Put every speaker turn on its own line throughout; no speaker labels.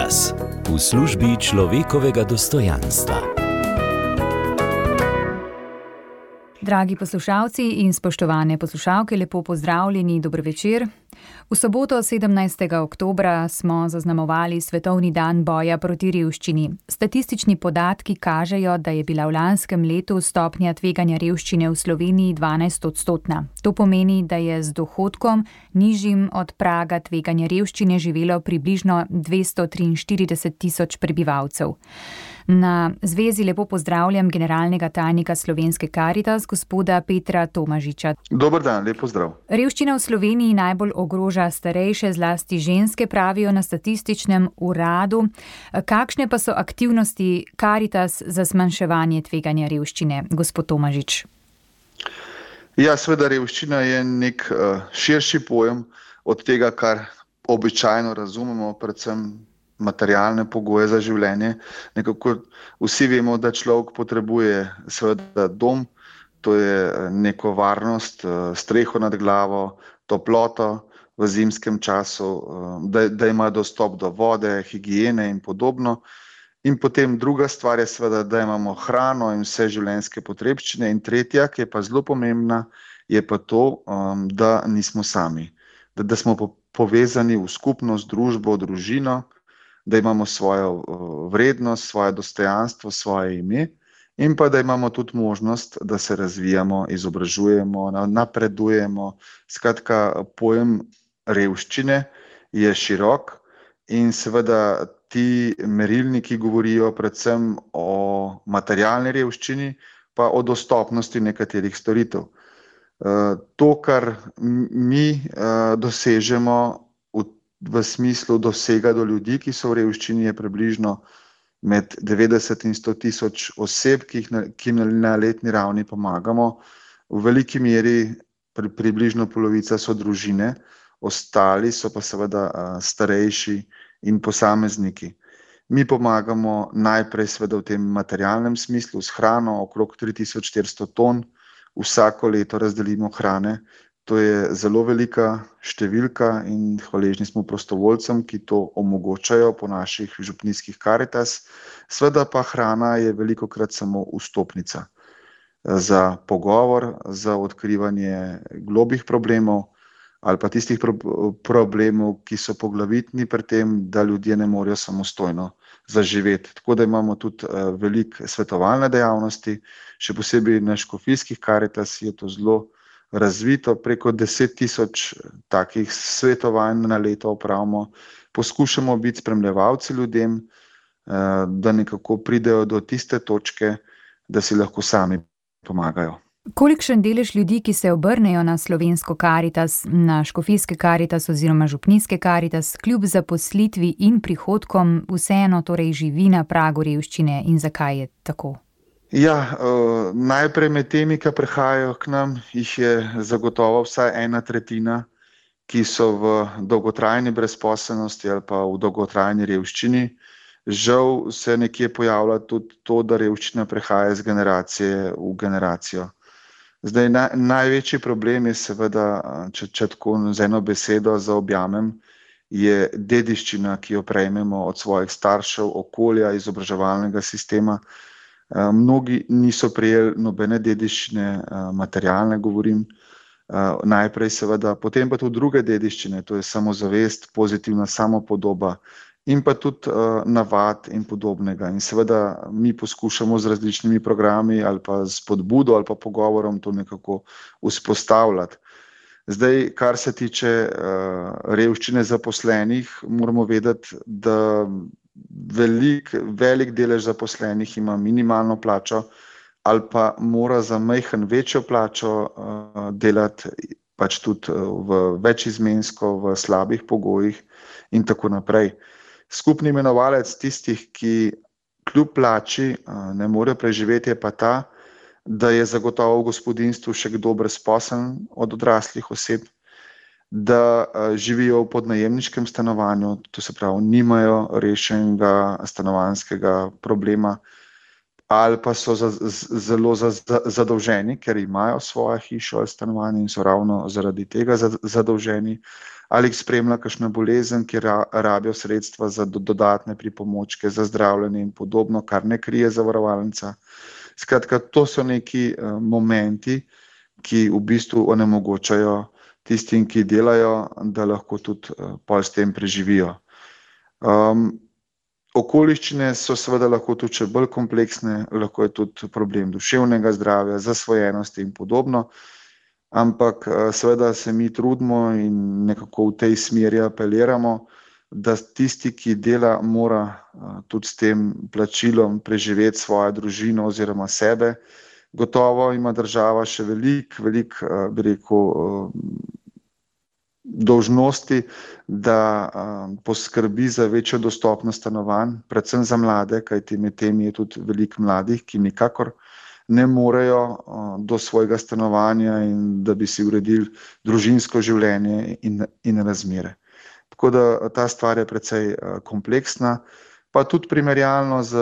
Karitas v službi človekovega dostojanstva.
Dragi poslušalci in spoštovane poslušalke, lepo pozdravljeni, dober večer. V soboto 17. oktobra smo zaznamovali Svetovni dan boja proti revščini. Statistični podatki kažejo, da je bila v lanskem letu stopnja tveganja revščine v Sloveniji 12-odstotna. To pomeni, da je z dohodkom nižjim od praga tveganja revščine živelo približno 243 tisoč prebivalcev. Na zvezi lepo pozdravljam generalnega tajnika Slovenske Karitas, gospoda Petra Tomažiča.
Dober dan, lep pozdrav.
Revščina v Sloveniji najbolj ogroža starejše, zlasti ženske, pravijo na statističnem uradu. Kakšne pa so aktivnosti Karitas za zmanjševanje tveganja revščine, gospod Tomažič?
Ja, seveda revščina je nek širši pojem od tega, kar običajno razumemo, predvsem materialne pogoje za življenje. Nekako vsi vemo, da človek potrebuje seveda dom, to je neko varnost, streho nad glavo, toploto v zimskem času, da ima dostop do vode, higiene in podobno. In potem druga stvar je seveda, da imamo hrano in vse življenjske potrebščine. In tretja, ki je pa zelo pomembna, je pa to, da nismo sami, da smo povezani v skupnost, družbo, družino, da imamo svojo vrednost, svoje dostojanstvo, svoje ime in pa da imamo tudi možnost, da se razvijamo, izobražujemo, napredujemo. Skratka, pojem revščine je širok in seveda ti merilniki govorijo predvsem o materialni revščini, pa o dostopnosti nekaterih storitev. To, kar mi dosežemo v smislu dosega do ljudi, ki so v revščini, je približno med 90 in 100 tisoč oseb, ki na letni ravni pomagamo. V veliki meri približno polovica so družine, ostali so pa seveda starejši in posamezniki. Mi pomagamo najprej seveda v tem materialnem smislu s hrano, okrog 3400 ton vsako leto razdelimo hrane. To je zelo velika številka in hvaležni smo prostovoljcem, ki to omogočajo po naših župnijskih Karitas. Sveda pa hrana je velikokrat samo vstopnica za pogovor, za odkrivanje globih problemov ali pa tistih problemov, ki so poglavitni pri tem, da ljudje ne morejo samostojno zaživeti. Tako da imamo tudi veliko svetovalne dejavnosti, še posebej na škofijskih Karitas je to zelo razvito, preko 10 tisoč takih svetovanj na leto opravimo. Poskušamo biti spremljevalci ljudem, da nekako pridejo do tiste točke, da si lahko sami pomagajo.
Kolikšen delež ljudi, ki se obrnejo na Slovensko Karitas, na škofijske Karitas oziroma župnijske Karitas, kljub zaposlitvi in prihodkom vseeno torej živi na pragu revščine in zakaj je tako?
Ja, najprej med temi, ki prihajajo k nam, jih je zagotovo vsaj 1/3, ki so v dolgotrajni brezposelnosti ali pa v dolgotrajni revščini. Žal se nekje pojavlja tudi to, da revščina prehaja iz generacije v generacijo. Zdaj, največji problem je seveda, če tako z eno besedo zaobjamem, je dediščina, ki jo prejmemo od svojih staršev, okolja, izobraževalnega sistema. Mnogi niso prejeli nobene dediščine, materialne govorim, najprej seveda, potem pa tudi druge dediščine, to je samozavest, pozitivna samopodoba in pa tudi navad in podobnega. In seveda mi poskušamo z različnimi programi ali pa s spodbudo ali pa pogovorom to nekako vzpostavljati. Zdaj, kar se tiče revščine zaposlenih, moramo vedeti, da velik delež zaposlenih ima minimalno plačo ali pa mora za majhen večjo plačo delati pač tudi v večizmensko, v slabih pogojih in tako naprej. Skupni imenovalec tistih, ki kljub plači ne more preživeti, je pa ta, da je zagotovo v gospodinjstvu še kdo brezposeln od odraslih oseb, da živijo v podnajemniškem stanovanju, to se pravi, nimajo rešenega stanovanjskega problema, ali pa so zelo zadolženi, ker imajo svojo hišo ali stanovanje in so ravno zaradi tega zadolženi, ali jih spremlja kakšna bolezen, kjer rabijo sredstva za dodatne pripomočke, za zdravljenje in podobno, kar ne krije zavarovalnica. Skratka, to so neki momenti, ki v bistvu onemogočajo tistim, ki delajo, da lahko tudi pol s tem preživijo. Okoliščine so seveda lahko tudi še bolj kompleksne, lahko je tudi problem duševnega zdravja, zasvojenosti in podobno, ampak seveda se mi trudimo in nekako v tej smeri apeliramo, da tisti, ki dela, mora tudi s tem plačilom preživeti svojo družino oziroma sebe. Gotovo ima država še veliko, bi rekel, dolžnosti, da poskrbi za večjo dostopnost stanovanj, predvsem za mlade, kajti med temi je tudi veliko mladih, ki nikakor ne morejo do svojega stanovanja in da bi si uredili družinsko življenje in razmere. Tako da ta stvar je precej kompleksna, pa tudi primerjalno z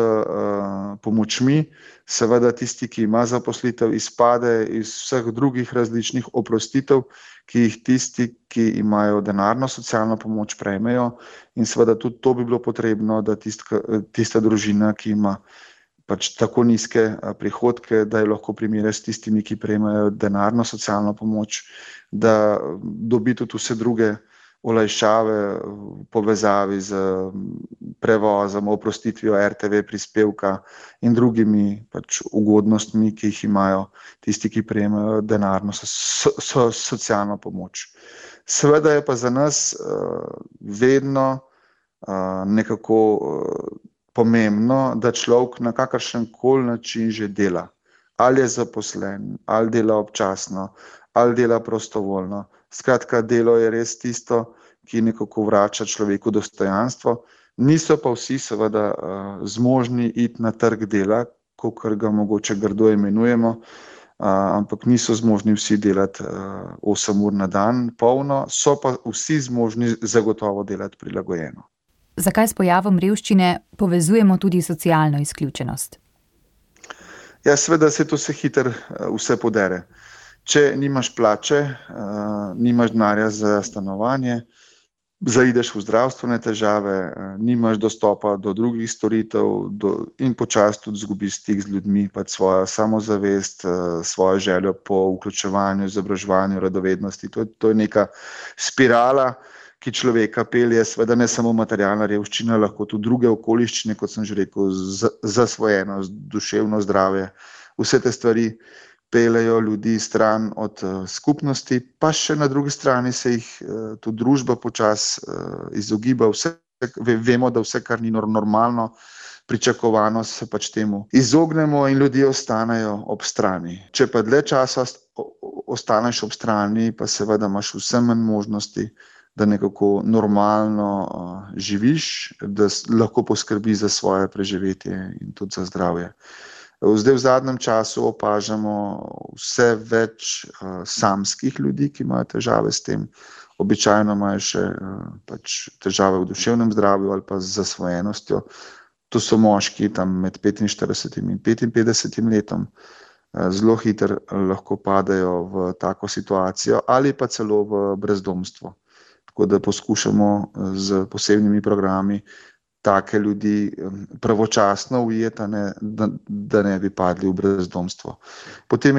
pomočmi. Seveda tisti, ki ima zaposlitev, izpade iz vseh drugih različnih oprostitev, ki jih tisti, ki imajo denarno socialno pomoč, prejmejo, in seveda tudi to bi bilo potrebno, da tista družina, ki ima pač tako nizke prihodke, da je lahko primerja s tistimi, ki prejmejo denarno socialno pomoč, da dobi tudi vse druge olajšave v povezavi z prevozom, oprostitvijo RTV prispevka in drugimi pač ugodnostmi, ki jih imajo tisti, ki prejemajo denarno socialno pomoč. Seveda je pa za nas vedno nekako pomembno, da človek na kakršenkoli način že dela. Ali je zaposlen, ali dela občasno, ali dela prostovoljno. Skratka, delo je res tisto, ki nekako vrača človeku dostojanstvo. Niso pa vsi seveda zmožni iti na trg dela, kakor ga mogoče grdo imenujemo, ampak niso zmožni vsi delati 8 ur na dan polno, so pa vsi zmožni zagotovo delati prilagojeno.
Zakaj s pojavom revščine povezujemo tudi socialno izključenost?
Ja, seveda se to hitro vse podere. Če nimaš plače, nimaš denarja za stanovanje, zaideš v zdravstvene težave, nimaš dostopa do drugih storitev in počasi tudi izgubiš stik z ljudmi, pač svojo samozavest, svojo željo po vključevanju, izobraževanju, radovednosti. To je neka spirala, ki človeka pelje, seveda ne samo materialna revščina, lahko tudi druge okoliščine, kot sem že rekel, zasvojenost, duševno zdravje, vse te stvari peljejo ljudi stran od skupnosti, pa še na drugi strani se jih tudi družba počasi izogiba. Vemo, da vse, kar ni normalno, pričakovano, se pač temu izognemo in ljudje ostanejo ob strani. Če pa dlje časa ostaneš ob strani, pa seveda imaš vse manj možnosti, da nekako normalno živiš, da lahko poskrbi za svoje preživetje in tudi za zdravje. Zdaj v zadnjem času opažamo vse več samskih ljudi, ki imajo težave s tem. Običajno imajo še pač težave v duševnem zdravju ali pa z zasvojenostjo. To so moški tam med 45 in 55 letom. Zelo hitro lahko padejo v tako situacijo ali pa celo v brezdomstvo. Tako da poskušamo z posebnimi programi take ljudi pravočasno ujeti, da ne bi padli v brezdomstvo. Potem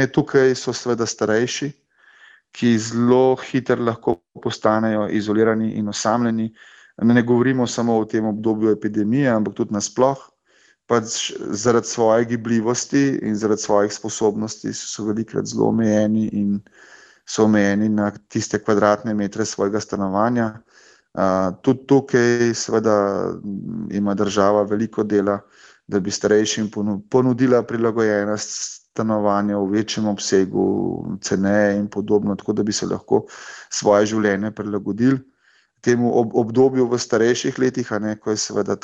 so seveda starejši, ki zelo hitro lahko postanejo izolirani in osamljeni. Ne govorimo samo o tem obdobju epidemije, ampak tudi nasploh. Pač zaradi svoje gibljivosti in zaradi svojih sposobnosti so velikokrat zelo omejeni in so omejeni na tiste kvadratne metre svojega stanovanja. Tudi tukaj seveda ima država veliko dela, da bi starejšim ponudila prilagojena stanovanja v večjem obsegu, ceneje in podobno, tako da bi se lahko svoje življenje prilagodili temu obdobju v starejših letih, ko je seveda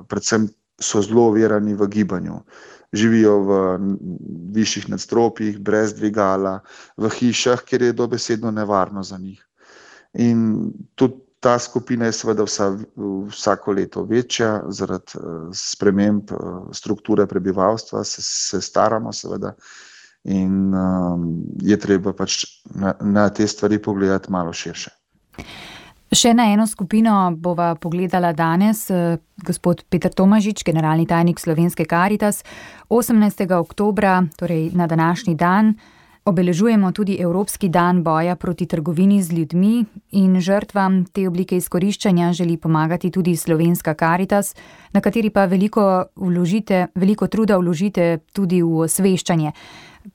predvsem so zelo ovirani v gibanju. Živijo v višjih nadstropjih, brez dvigala, v hišah, kjer je dobesedno nevarno za njih. In tudi Ta skupina je seveda vsako leto večja zaradi sprememb strukture prebivalstva, se staramo seveda in je treba pač na te stvari pogledati malo širše.
Še na eno skupino bova pogledala danes. Gospod Peter Tomažič, generalni tajnik Slovenske Karitas, 18. oktobra, torej na današnji dan, obeležujemo tudi Evropski dan boja proti trgovini z ljudmi in žrtvam te oblike izkoriščanja želi pomagati tudi Slovenska Karitas, na kateri pa veliko truda vložite tudi v osveščanje.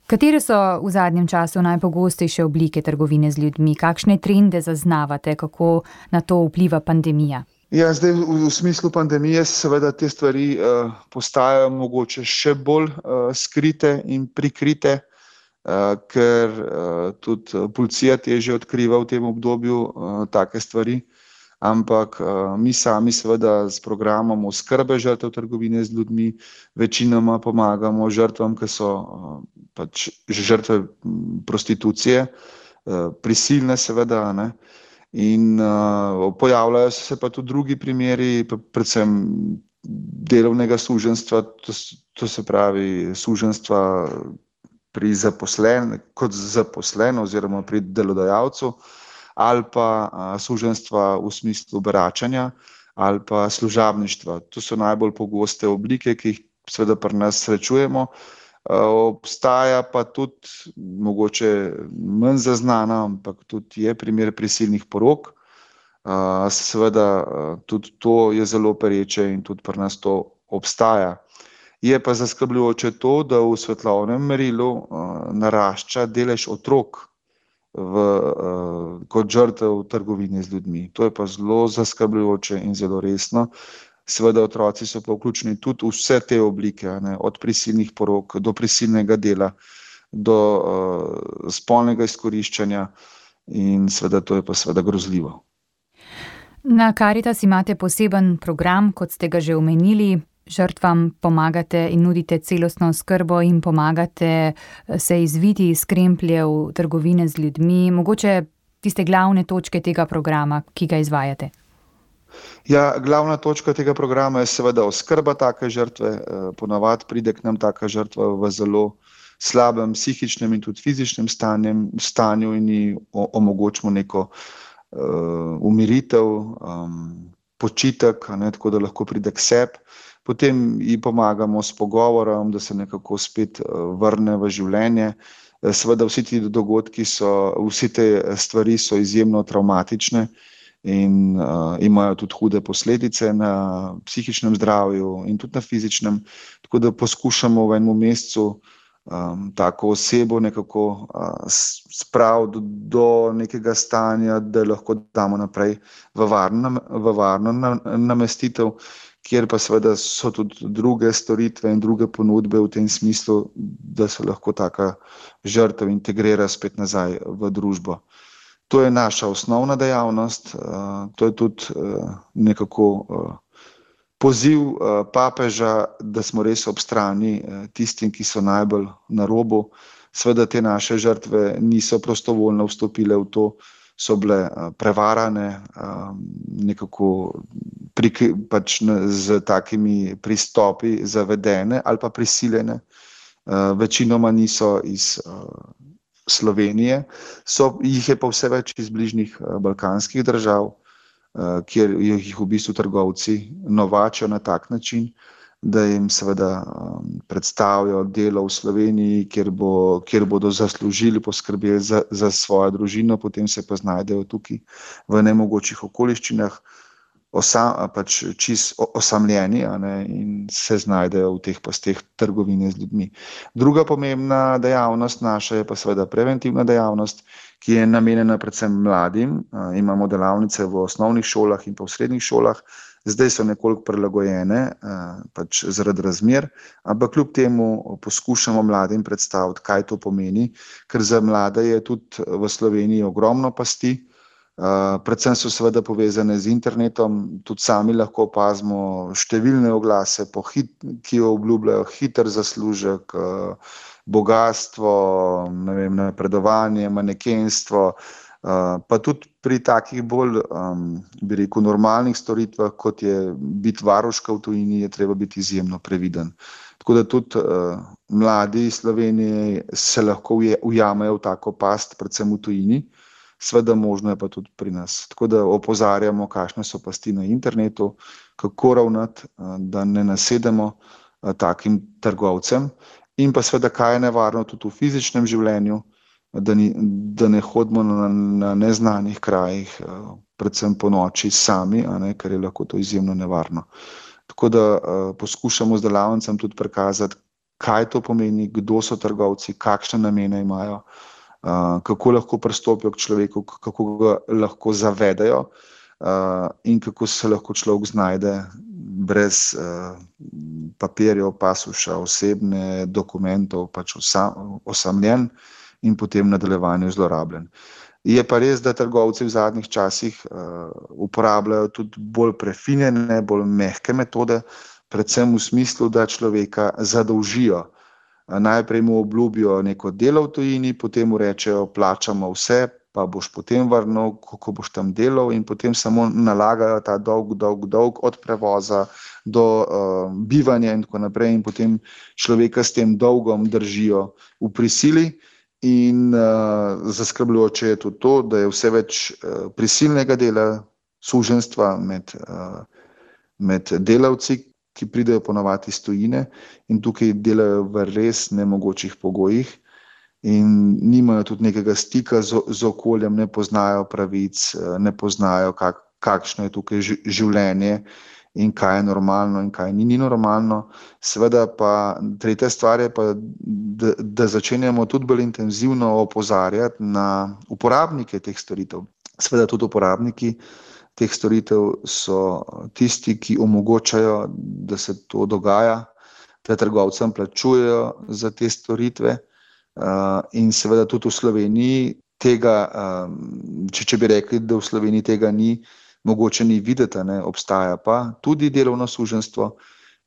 Katere so v zadnjem času najpogostejše oblike trgovine z ljudmi? Kakšne trende zaznavate, kako na to vpliva pandemija?
Ja, zdaj v smislu pandemije seveda te stvari postajajo mogoče še bolj skrite in prikrite, ker tudi policija težje odkriva v tem obdobju take stvari, ampak mi sami seveda s programom oskrbe žrtev trgovine z ljudmi večinoma pomagamo žrtvam, ki so pač žrtve prostitucije, prisilne seveda, ne. In pojavljajo se pa tudi drugi primeri, predvsem delovnega suženjstva, to se pravi suženjstva kot zaposlen oziroma pri delodajalcu, ali pa suženjstva v smislu beračanja ali pa služabništva. To so najbolj pogoste oblike, ki jih seveda pri nas srečujemo. Obstaja pa tudi, mogoče manj zaznana, ampak tudi je primer prisilnih porok. Seveda tudi to je zelo pereče in tudi pri nas to obstaja. Je pa zaskrbljujoče to, da v svetovnem merilu narašča delež otrok kot žrtev trgovine z ljudmi. To je pa zelo zaskrbljujoče in zelo resno. Seveda otroci so pa vključeni tudi v vse te oblike, ne, od prisilnih porok do prisilnega dela, do spolnega izkoriščanja in seveda to je pa seveda grozljivo.
Na Karitas imate poseben program, kot ste ga že omenili. Žrtvam pomagate in nudite celostno oskrbo in pomagate se izviti iz krempljev trgovine z ljudmi. Mogoče tiste glavne točke tega programa, ki ga izvajate?
Ja, glavna točka tega programa je seveda oskrba take žrtve. Ponavadi pride k nam taka žrtva v zelo slabem psihičnem in tudi fizičnem stanju in ji omogočimo neko umiritev, počitek, ne, tako da lahko pride k sebi. Potem ji pomagamo s pogovorom, da se nekako spet vrne v življenje. Seveda vsi ti dogodki vsi te stvari so izjemno travmatične in imajo tudi hude posledice na psihičnem zdravju in tudi na fizičnem. Tako da poskušamo v enem mesecu tako osebo nekako spraviti do nekega stanja, da lahko damo naprej v varno namestitev, kjer pa seveda so tudi druge storitve in druge ponudbe v tem smislu, da se lahko taka žrtev integrira spet nazaj v družbo. To je naša osnovna dejavnost, to je tudi nekako poziv papeža, da smo res ob strani tistim, ki so najbolj na robu. Seveda te naše žrtve niso prostovoljno vstopile v to, so bile prevarane, nekako pač z takimi pristopi zavedene ali pa prisiljene. Večinoma niso iz Slovenije, jih je pa vse več iz bližnjih balkanskih držav, kjer jih v bistvu trgovci novačijo na tak način, da jim seveda predstavijo delo v Sloveniji, kjer bodo zaslužili, poskrbeli za svojo družino, potem se pa znajdejo tukaj v nemogočih okoliščinah, pač čisto osamljeni, in se znajdejo v teh pasteh trgovine z ljudmi. Druga pomembna dejavnost naša je pa seveda preventivna dejavnost, ki je namenjena predvsem mladim. Imamo delavnice v osnovnih šolah in pa v srednjih šolah. Zdaj so nekoliko prilagojene, pač zaradi razmer, ampak kljub temu poskušamo mladim predstaviti, kaj to pomeni, ker za mlade je tudi v Sloveniji ogromno pasti. Predvsem so seveda povezane z internetom, tudi sami lahko opazimo številne oglase, ki obljubljajo hiter zaslužek, bogastvo, napredovanje, manekenstvo, Pa tudi pri takih bolj, bi rekel, normalnih storitvah, kot je biti varuška v tujini, je treba biti izjemno previden. Tako da tudi mladi iz Slovenije se lahko ujamejo v tako past, predvsem v tujini, seveda možno je pa tudi pri nas. Tako da opozarjamo, kakšne so pasti na internetu, kako ravnati, da ne nasedemo takim trgovcem, in pa seveda, kaj je nevarno tudi v fizičnem življenju, da ne hodimo na neznanih krajih, predvsem po noči sami, ker je lahko to izjemno nevarno. Tako da poskušamo z delavnicam tudi prikazati, kaj to pomeni, kdo so trgovci, kakšne namene imajo, kako lahko pristopijo k človeku, kako ga lahko zavedajo in kako se lahko človek znajde brez papirjev, pasuša, osebne dokumentov, pač osamljen in potem v nadaljevanju zlorabljen. Je pa res, da trgovci v zadnjih časih uporabljajo tudi bolj prefinjene, bolj mehke metode, predvsem v smislu, da človeka zadolžijo. Najprej mu obljubijo neko delo v tujini, potem mu rečejo, plačamo vse, pa boš potem vrnil, ko boš tam delal, in potem samo nalagajo ta dolg od prevoza do bivanja in tako naprej, in potem človeka s tem dolgom držijo v prisili. In zaskrbljujoče je tudi to, da je vse več prisilnega dela, suženjstva med delavci, ki pridejo ponavadi iz tujine in tukaj delajo v res nemogočih pogojih in nimajo tudi nekega stika z okoljem, ne poznajo pravic, ne poznajo, kakšno je tukaj življenje in kaj je normalno in kaj ni normalno. Seveda pa tretja stvar je pa, da začenjamo tudi bolj intenzivno opozarjati na uporabnike teh storitev. Seveda tudi uporabniki teh storitev so tisti, ki omogočajo, da se to dogaja, da trgovcem plačujejo za te storitve, in seveda tudi v Sloveniji tega, če bi rekli, da v Sloveniji tega ni, mogoče ni videti, obstaja pa tudi delovno suženjstvo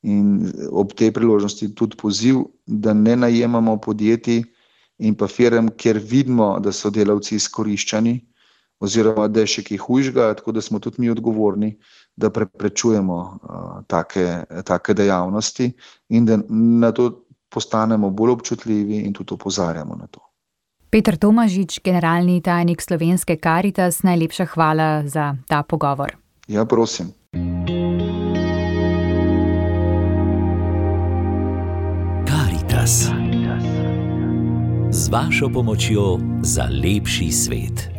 in ob tej priložnosti tudi poziv, da ne najemamo podjetij in pa firm, kjer vidimo, da so delavci izkoriščani oziroma da je še kaj hujšega, tako da smo tudi mi odgovorni, da preprečujemo take dejavnosti in da na to postanemo bolj občutljivi in tudi opozarjamo na to.
Peter Tomažič, generalni tajnik Slovenske Karitas, najlepša hvala za ta pogovor.
Ja, prosim.
Karitas. Z vašo pomočjo za lepši svet.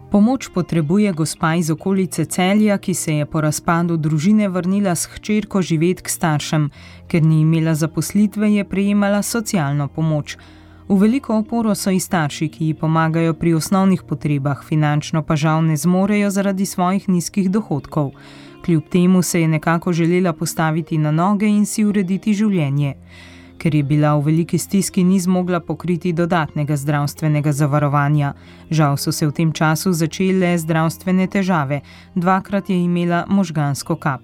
Pomoč potrebuje gospa iz okolice Celja, ki se je po razpadu družine vrnila s hčerko živet k staršem. Ker ni imela zaposlitve, je prejemala socialno pomoč. V veliko oporo so i starši, ki ji pomagajo pri osnovnih potrebah, finančno pa žal ne zmorejo zaradi svojih nizkih dohodkov. Kljub temu se je nekako želela postaviti na noge in si urediti življenje. Ker je bila v veliki stiski, ni zmogla pokriti dodatnega zdravstvenega zavarovanja. Žal so se v tem času začele zdravstvene težave. 2-krat je imela možgansko kap.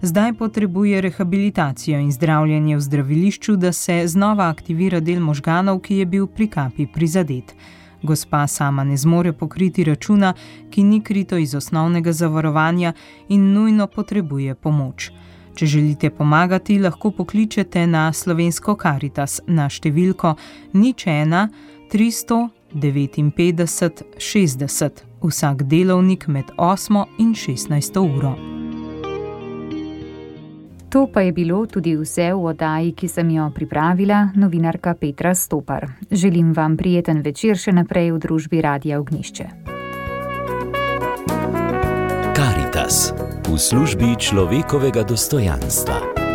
Zdaj potrebuje rehabilitacijo in zdravljenje v zdravilišču, da se znova aktivira del možganov, ki je bil pri kapi prizadet. Gospa sama ne zmore pokriti računa, ki ni krito iz osnovnega zavarovanja in nujno potrebuje pomoč. Če želite pomagati, lahko pokličete na Slovensko Karitas na številko 01 359 60, vsak delovnik med 8 in 16 uro.
To pa je bilo tudi vse v oddaji, ki sem jo pripravila, novinarka Petra Stopar. Želim vam prijeten večer še naprej v družbi Radia Ognjišče.
Karitas v službi človekovega dostojanstva.